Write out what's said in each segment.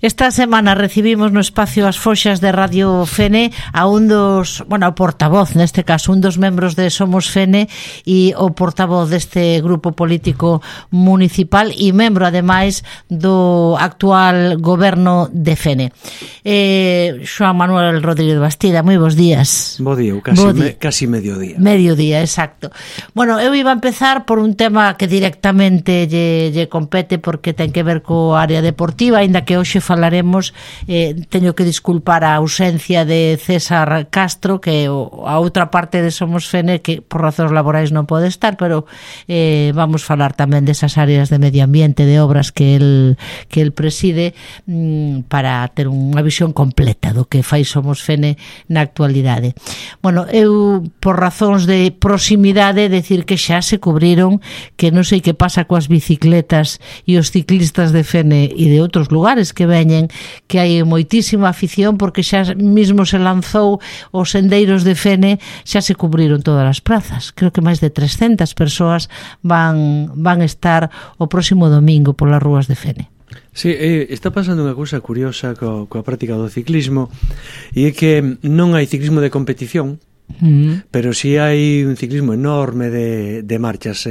Esta semana recibimos no espacio As Foxas de Radio Fene a un dos, o portavoz, neste caso, un dos membros de Somos Fene e o portavoz deste grupo político municipal e membro, ademais, do actual goberno de Fene. Xoán Manuel Rodríguez Bastida, moi bons días. Bo día, casi mediodía. Mediodía, exacto. Bueno, eu iba a empezar por un tema que directamente lle compete porque ten que ver co área deportiva, aínda que hoxe falaremos, teño que disculpar a ausencia de César Castro, que a outra parte de Somos Fene, que por razóns laborais non pode estar, pero vamos falar tamén desas áreas de medio ambiente, de obras que el preside, para ter unha visión completa do que fai Somos Fene na actualidade. Bueno, eu, por razóns de proximidade, decir que xa se cubriron, que non sei que pasa coas bicicletas e os ciclistas de Fene e de outros lugares que veñen, que hai moitísima afición porque xa mismo se lanzou os sendeiros de Fene, xa se cubriron todas as prazas. Creo que máis de 300 persoas van estar o próximo domingo polas rúas de Fene. Sí, está pasando unha cousa curiosa coa práctica do ciclismo, e é que non hai ciclismo de competición, pero si hai un ciclismo enorme de marchas.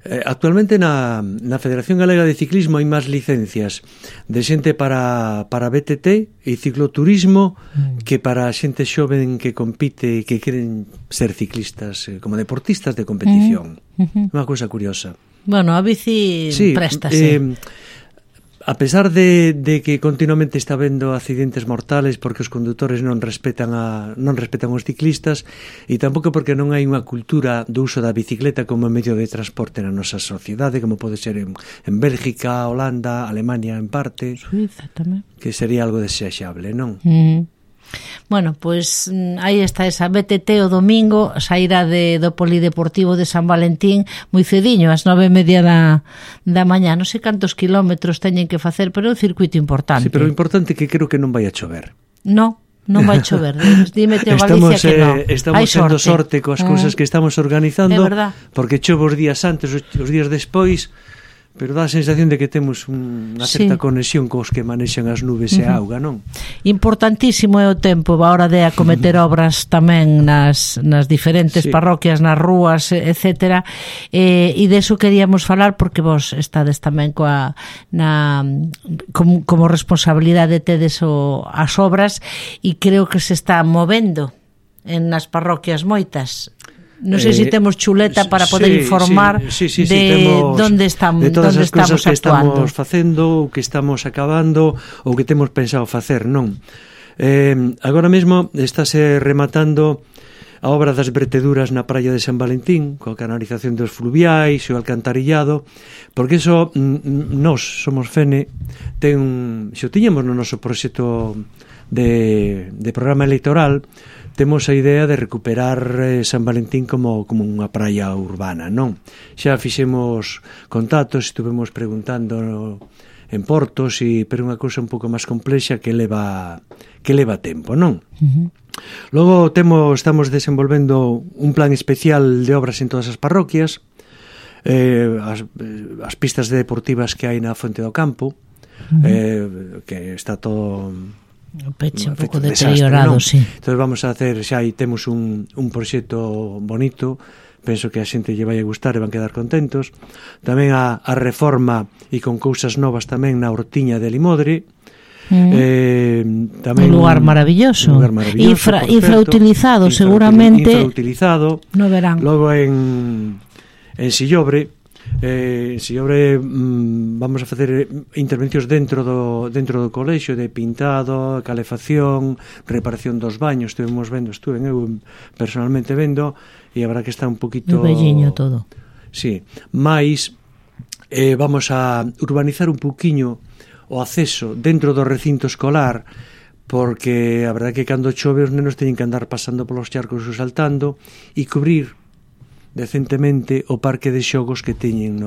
Actualmente na Federación Galega de Ciclismo hai máis licencias de xente para BTT e cicloturismo que para xente xoven que compite e que queren ser ciclistas, como deportistas de competición. Unha cousa curiosa. Bueno, a bici préstase. A pesar de que continuamente está habendo accidentes mortales porque os condutores non respetan os ciclistas, e tampouco porque non hai unha cultura do uso da bicicleta como medio de transporte na nosa sociedade, como pode ser en Bélgica, Holanda, Alemania en parte, Suiza tamén, que sería algo desexable, non? Bueno, pois aí está esa BTT o domingo, saíra do Polideportivo de San Valentín moi cediño, ás 9:30 da mañá. Non sei cantos kilómetros teñen que facer, pero é un circuito importante. Sí, pero o importante é que creo que non vai a chover. Non vai chover. Dime, Teo Galicia, que non. Estamos tendo sorte coas cousas que estamos organizando, porque chove os días antes, os días despois, pero dá a sensación de que temos unha certa conexión cos que manexan as nubes e a auga, non? Importantísimo é o tempo a hora de acometer obras tamén nas diferentes parroquias, nas rúas, etcétera, e deso queríamos falar porque vos estades tamén como responsabilidade tedes as obras, e creo que se está movendo nas parroquias moitas. Non sei se temos chuleta para poder informar de onde estamos de todas as cousas que actuando. Estamos facendo, o que estamos acabando, ou que temos pensado facer, non? Agora mesmo estáse rematando a obra das verteduras na praia de San Valentín, coa canalización dos fluviais e o alcantarillado, porque iso nós, Somos Fene, xo tiñamos no noso proxecto de programa electoral, temos a idea de recuperar San Valentín como unha praia urbana, non? Xa fixemos contactos, estuvemos preguntando en portos, pero unha cousa un pouco máis complexa que leva tempo, non? Logo estamos desenvolvendo un plan especial de obras en todas as parroquias, as pistas deportivas que hai na Fonte do Campo, que está todo o peche un pouco deteriorado, sí. Entón vamos a hacer, xa aí temos un proxecto bonito, penso que a xente lle vai a gustar e van quedar contentos. Tamén a reforma e con cousas novas tamén na Hortiña de Limodre. Tamén un lugar maravilloso, infrautilizado, seguramente infrautilizado no verán. Logo en Sillobre, vamos a facer intervencións dentro do colexio, de pintado, calefacción, reparación dos baños. Estuve eu personalmente vendo, e habrá que estar un poquito velliño todo. Sí, mais vamos a urbanizar un pouquiño o acceso dentro do recinto escolar, porque a verdade é que cando chove os nenos teñen que andar pasando polos charcos ou saltando, e cubrir decentemente o parque de xogos que teñen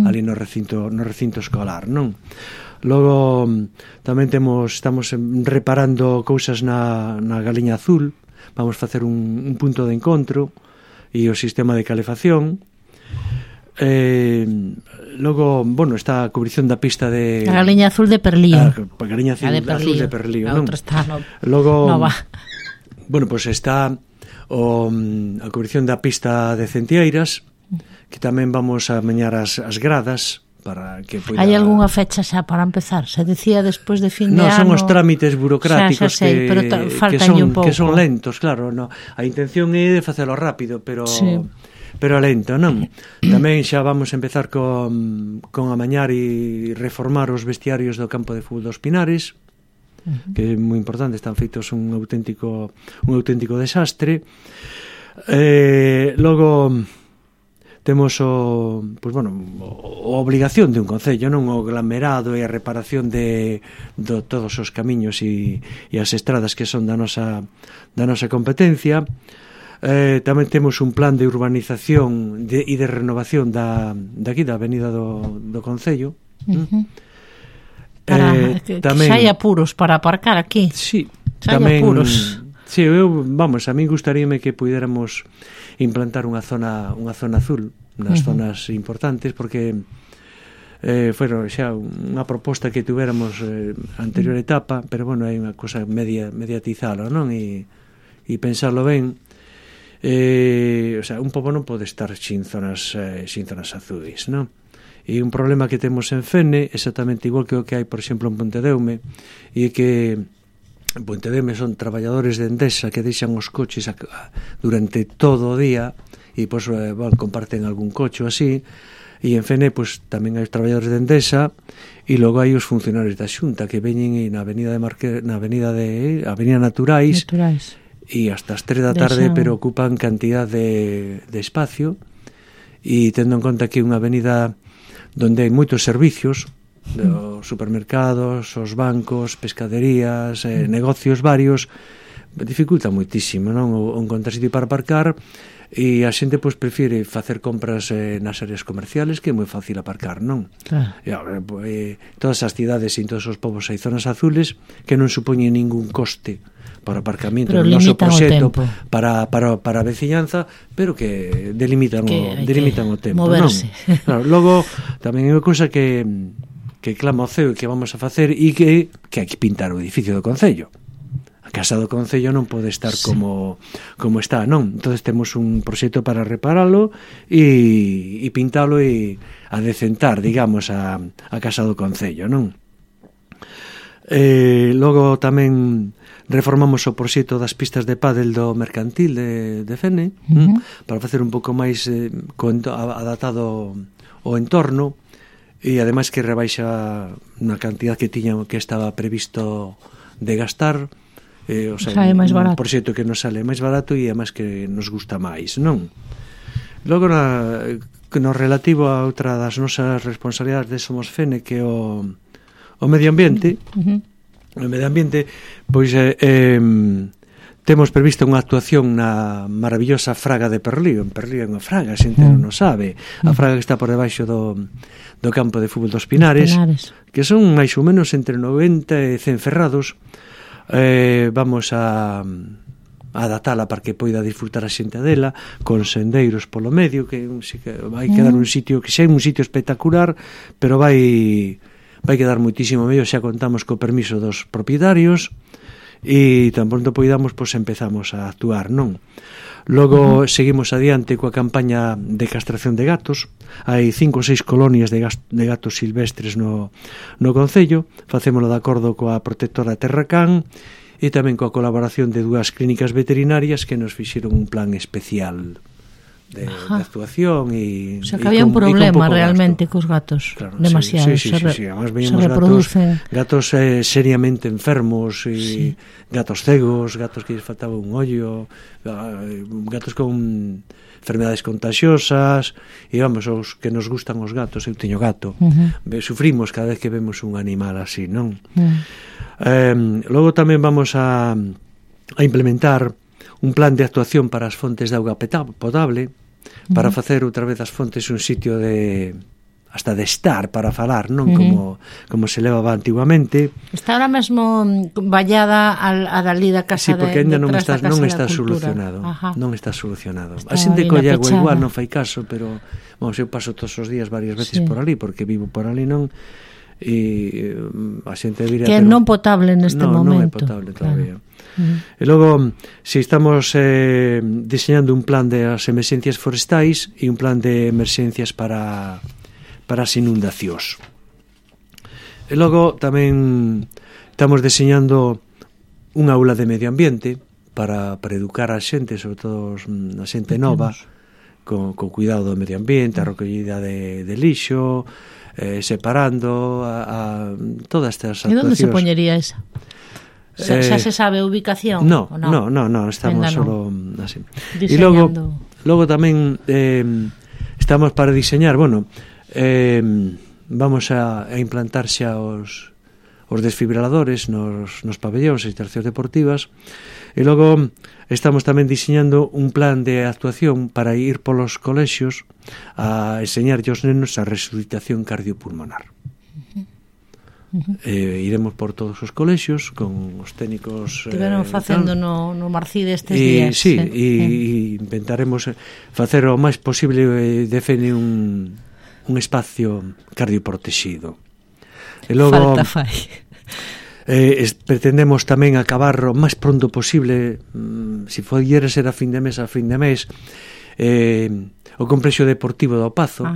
ali no recinto escolar, non? Logo tamén estamos reparando cousas na Galiña Azul, vamos facer un punto de encontro e o sistema de calefacción. Logo, bueno, está a cubrición da pista de... A Galiña Azul de Perlío. A Galiña Azul de Perlío, non? A outra está nova. Bueno, pois está a cubrición da pista de Centieiras, que tamén vamos a meñar as gradas para que poida... Hai algunha fecha xa para empezar? Se decía despois de fin de ano... Non, son os trámites burocráticos xa sei, que son lentos, claro. No. A intención é de facelo rápido, pero lento, non? Tamén xa vamos a empezar con amañar e reformar os vestiarios do campo de fútbol dos Pinares, que é moi importante, están feitos un auténtico desastre. Logo temos a obligación de un concello, non, o aglomerado e a reparación de todos os camiños e as estradas que son da nosa competencia. Tamén temos un plan de urbanización e de renovación daqui da avenida do concello. Para que hai apuros para aparcar aquí. Sí, tamén apuros. Sí, a mí gustaríame que puidéramos implantar unha zona azul nas zonas importantes, porque foi xa unha proposta que tuveramos anterior etapa, pero bueno, hai unha cosa mediatizalo, non? E pensarlo ben. Un pobo non pode estar sin zonas azuis, non? E un problema que temos en Fene, exactamente igual que o que hai, por exemplo, en Pontedeume, e que en Pontedeume son traballadores de Endesa que deixan os coches durante todo o día e pois comparten algún coche así, e en Fene pois tamén hai os traballadores de Endesa e logo hai os funcionarios da Xunta que veñen na avenida Naturais e hasta as 3 da tarde, pero ocupan cantidad de espacio, e tendo en conta que é unha avenida donde hai moitos servicios, os supermercados, os bancos, pescaderías, negocios varios, dificulta moitísimo, non, o encontrar sitio para aparcar, e a xente pois prefire facer compras nas áreas comerciales, que é moi fácil aparcar, non? Claro. Todas as cidades e en todos os povos hai zonas azules que non supoñen ningún coste para aparcamento no noso proxecto para a veciñanza, pero que delimitan o tempo, moverse. Non? Claro, logo tamén é unha cousa que clama o ceo e que vamos a facer, e que hai que pintar o edificio do concello. A casa do concello non pode estar como está, non? Entonces temos un proxecto para reparalo e pintalo e adecentar, digamos, a casa do concello, non? Logo tamén reformamos o proxecto das pistas de pádel do mercantil de Fene, para facer un pouco máis adaptado ao entorno, e ademais que rebaixa unha cantidad que estaba previsto de gastar, un proxecto que nos sale máis barato e ademais que nos gusta máis, non? Logo no relativo a outra das nosas responsabilidades de Somos Fene, que é o medio ambiente. O medio ambiente, pois temos previsto unha actuación na maravillosa fraga de Perlío. En Perlío é unha fraga, a xente non o sabe. A fraga que está por debaixo do campo de fútbol dos Pinares, que son máis ou menos entre 90 e 100 ferrados. Vamos a adaptala para que poida disfrutar a xente dela, con sendeiros polo medio, que vai quedar un sitio, que xa é un sitio espectacular, pero vai quedar moitísimo mellor. Xa contamos co permiso dos propietarios e tan pronto poidamos, pois empezamos a actuar, non? Logo seguimos adiante coa campaña de castración de gatos. Hai 5 ou 6 colonias de gatos silvestres no concello. Facémolo de acordo coa protectora Terracán e tamén coa colaboración de 2 clínicas veterinarias que nos fixeron un plan especial de actuación. O sea, que había un problema realmente cos gatos, claro, demasiado. Sí. Además veíamos gatos seriamente enfermos, e gatos cegos, gatos que lles faltaba un ollo, gatos con enfermedades contagiosas, e vamos, os que nos gustan os gatos, eu teño gato, sufrimos cada vez que vemos un animal así, non? Logo tamén vamos a implementar un plan de actuación para as fontes de auga potable, para facer outra vez as fontes un sitio de hasta de estar para falar, non como se levaba antiguamente. Está ahora mesmo vallada a dali da casa porque ainda non está solucionado. Non está solucionado. A xente colle agua igual, non fai caso, pero eu paso todos os días varias veces por ali, porque vivo por ali, non, e a xente diría que é non potable neste momento. Non é potable todavía. E logo, si estamos diseñando un plan de as emerxencias forestais e un plan de emerxencias para as inundacións. E logo tamén estamos diseñando unha aula de medio ambiente para educar a xente, sobre todo a xente nova, con cuidado do medio ambiente, a recollida de lixo, separando todas estas actuacións. E onde se poñería esa? Xa se sabe a ubicación? No, estamos solo así. E logo tamén estamos para diseñar, vamos a implantar xa os desfibriladores nos pabellóns e instalacións deportivas, e logo estamos tamén diseñando un plan de actuación para ir polos colexios a enseñarlle aos nenos a resucitación cardiopulmonar. Iremos por todos os colexios con os técnicos. Estiveron facendo no Marcide estes días. Sí, e intentaremos facer o máis posible de Fene un espacio cardioprotegido. E logo falta fai. Pretendemos tamén acabar o máis pronto posible, se follera ser a fin de mes, o complexo deportivo do Pazo.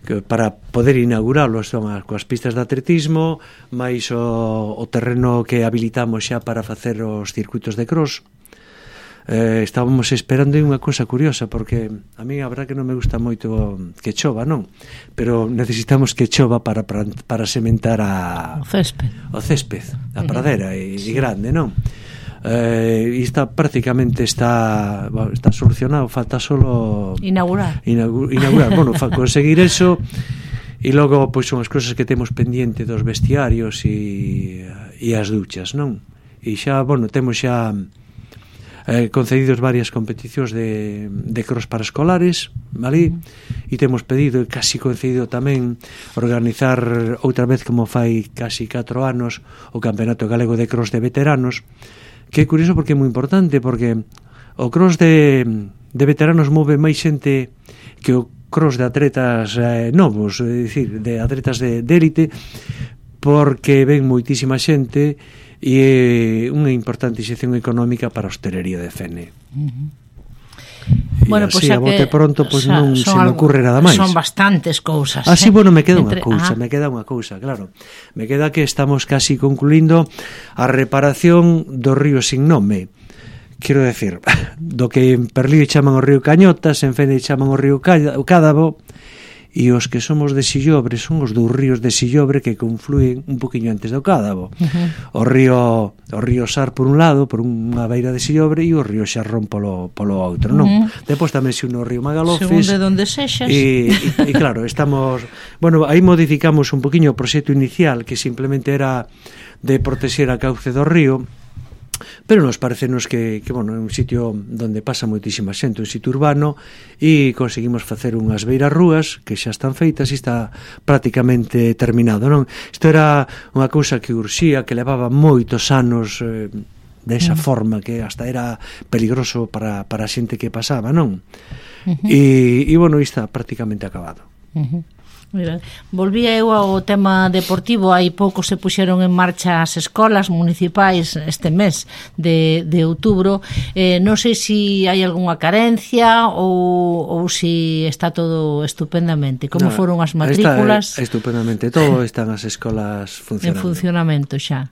Que para poder inaugurarlo son coas pistas de atletismo, máis o terreno que habilitamos xa para facer os circuitos de cross. Estábamos esperando unha cousa curiosa, porque a mí a verdad que non me gusta moito que chova, non? Pero necesitamos que chova para sementar o césped, a pradera e grande, non? E prácticamente está solucionado, falta solo inaugurar, conseguir eso. E logo pois son as cousas que temos pendiente dos vestiarios e as duchas, non? E xa, temos xa concedidos varias competicións de cross para escolares, vale? E temos pedido e casi concedido tamén organizar outra vez, como fai casi 4 anos, o Campeonato Galego de Cross de Veteranos, que é curioso porque é moi importante, porque o cross de veteranos move máis xente que o cross de atletas novos, é dicir, de atletas de élite, porque ven moitísima xente e é unha importante inxección económica para a hostelería de Fene. Bueno, así, a bote pronto, pois non se me ocurre nada máis. Son bastantes cousas. Así, me queda unha cousa, claro. Me queda que estamos casi concluindo a reparación do río sin nome. Quero decir, do que en Perlío chaman o río Cañotas, en Fene chaman o río Cádavo, e os que somos de Sillobre son os dos ríos de Sillobre que conflúen un poquinho antes do Cádavo. O río Sar por un lado, por unha beira de Sillobre, e o río Xarrón polo outro, non? Depois tamén se une o río Magalofes. Según de donde sexas. E claro, estamos... aí modificamos un poquinho o proxecto inicial, que simplemente era de protexer a cauce do río, pero nos parecenos que é un sitio onde pasa moitísima xente, un sitio urbano, e conseguimos facer unhas beiras rúas que xa están feitas e está prácticamente terminado, non? Isto era unha cousa que urxía, que levaba moitos anos desa forma, que hasta era peligroso para a xente que pasaba, non? E está prácticamente acabado. Volvía eu ao tema deportivo. Hai pouco se puxeron en marcha as escolas municipais este mes de outubro. Non sei se hai algunha carencia ou se está todo estupendamente. Como foron as matrículas? Está estupendamente todo, están as escolas funcionando. En funcionamento xa.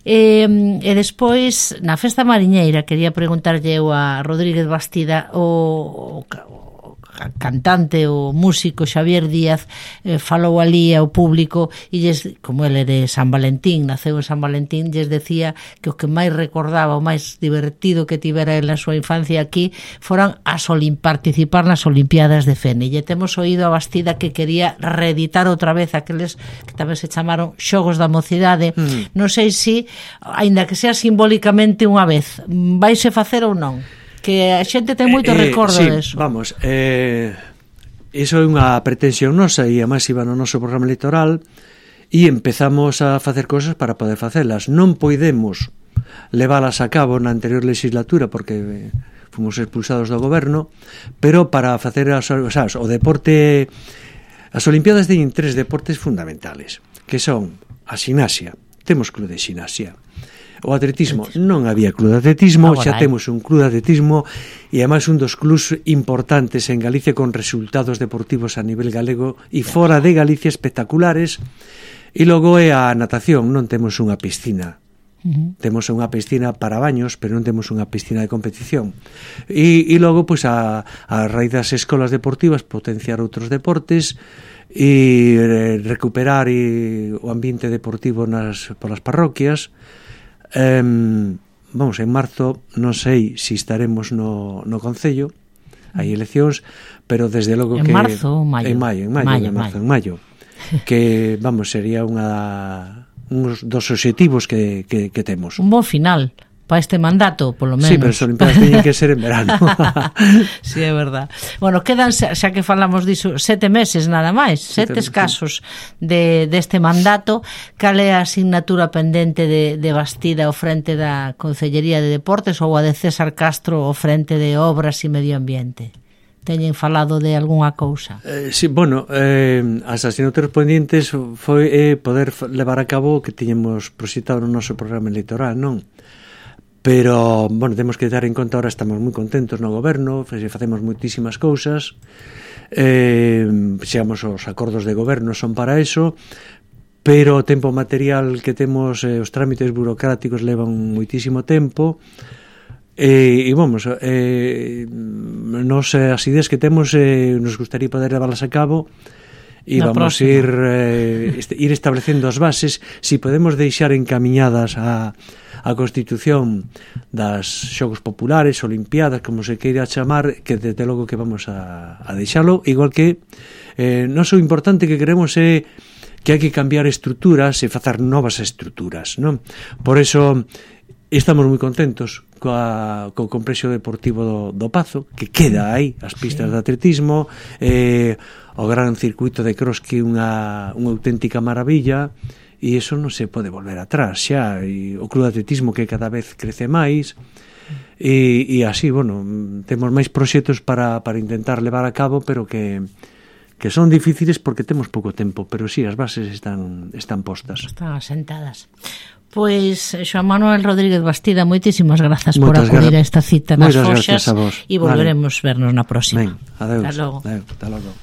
E despois, na Festa Mariñeira, quería preguntarlle eu a Rodríguez Bastida, o cantante, o músico Xavier Díaz falou ali ao público e como ele é de San Valentín, naceu en San Valentín, lles decía que o que máis recordaba, o máis divertido que tivera ele na súa infancia aquí foran participar nas Olimpiadas de Fene. E temos oído a Bastida que quería reeditar outra vez aqueles que tamén se chamaron Xogos da Mocidade. Non sei se, aínda que sea simbólicamente unha vez, vaise facer ou non? Que a xente ten moito recordo sí, deso. Vamos, iso é unha pretensión nosa e a máis iba no noso programa electoral e empezamos a facer cosas para poder facelas. Non podemos leválas a cabo na anterior legislatura porque fomos expulsados do goberno, pero para facer o deporte, as Olimpiadas teñen 3 deportes fundamentales, que son a ximnasia, temos club de ximnasia. O atletismo, non había club de atletismo, xa temos un club de atletismo e ademais un dos clubs importantes en Galicia con resultados deportivos a nivel galego e fora de Galicia espectaculares. E logo é a natación, non temos unha piscina. Temos unha piscina para baños, pero non temos unha piscina de competición. E logo, pois, a raíz das escolas deportivas, potenciar outros deportes e recuperar o ambiente deportivo polas parroquias. Vamos, en marzo non sei se estaremos no Concello, hai eleccións, pero desde logo que... En marzo ou maio? En maio. Que, vamos, sería uns dos obxectivos que temos. Un bon final para este mandato, polo menos. Sí, pero as Olimpiadas teñen que ser en verano. Sí, é verdad. Bueno, quedan, xa que falamos diso, 7 meses nada máis, 7 escasos deste mandato. Cal é a asignatura pendente de Bastida ao frente da Concellería de Deportes ou a de César Castro ao frente de Obras e Medio Ambiente? Teñen falado de algunha cousa? Sí, bueno, as asignaturas pendientes foi poder levar a cabo o que tiñemos proxectado no noso programa electoral, non? Pero, bueno, temos que dar en conta, ahora estamos moi contentos no goberno, facemos moitísimas cousas, xegamos os acordos de goberno son para eso, pero o tempo material que temos, os trámites burocráticos levan moitísimo tempo, e vamos, nos as ideas que temos nos gustaría poder levarlas a cabo e vamos ir establecendo as bases, si podemos deixar encamiñadas a Constitución das Xogos Populares, Olimpiadas, como se queira chamar, que desde logo que vamos a deixalo, igual que non o importante que queremos é que hai que cambiar estruturas e facer novas estruturas, non? Por eso estamos moi contentos co complexo deportivo do Pazo, que queda aí, as pistas de atletismo, o gran circuito de cross, que é unha auténtica maravilla, e iso non se pode volver atrás xa, e o club de atletismo que cada vez crece máis, e así, bueno, temos máis proxectos para intentar levar a cabo, pero que son difíciles porque temos pouco tempo, pero sí, as bases están postas. Están asentadas. Pois, Xoán Manuel Rodríguez Bastida, moitísimas grazas por acudir a esta cita nas Foxas, e volveremos vernos na próxima. Ben, adeus. Hasta logo.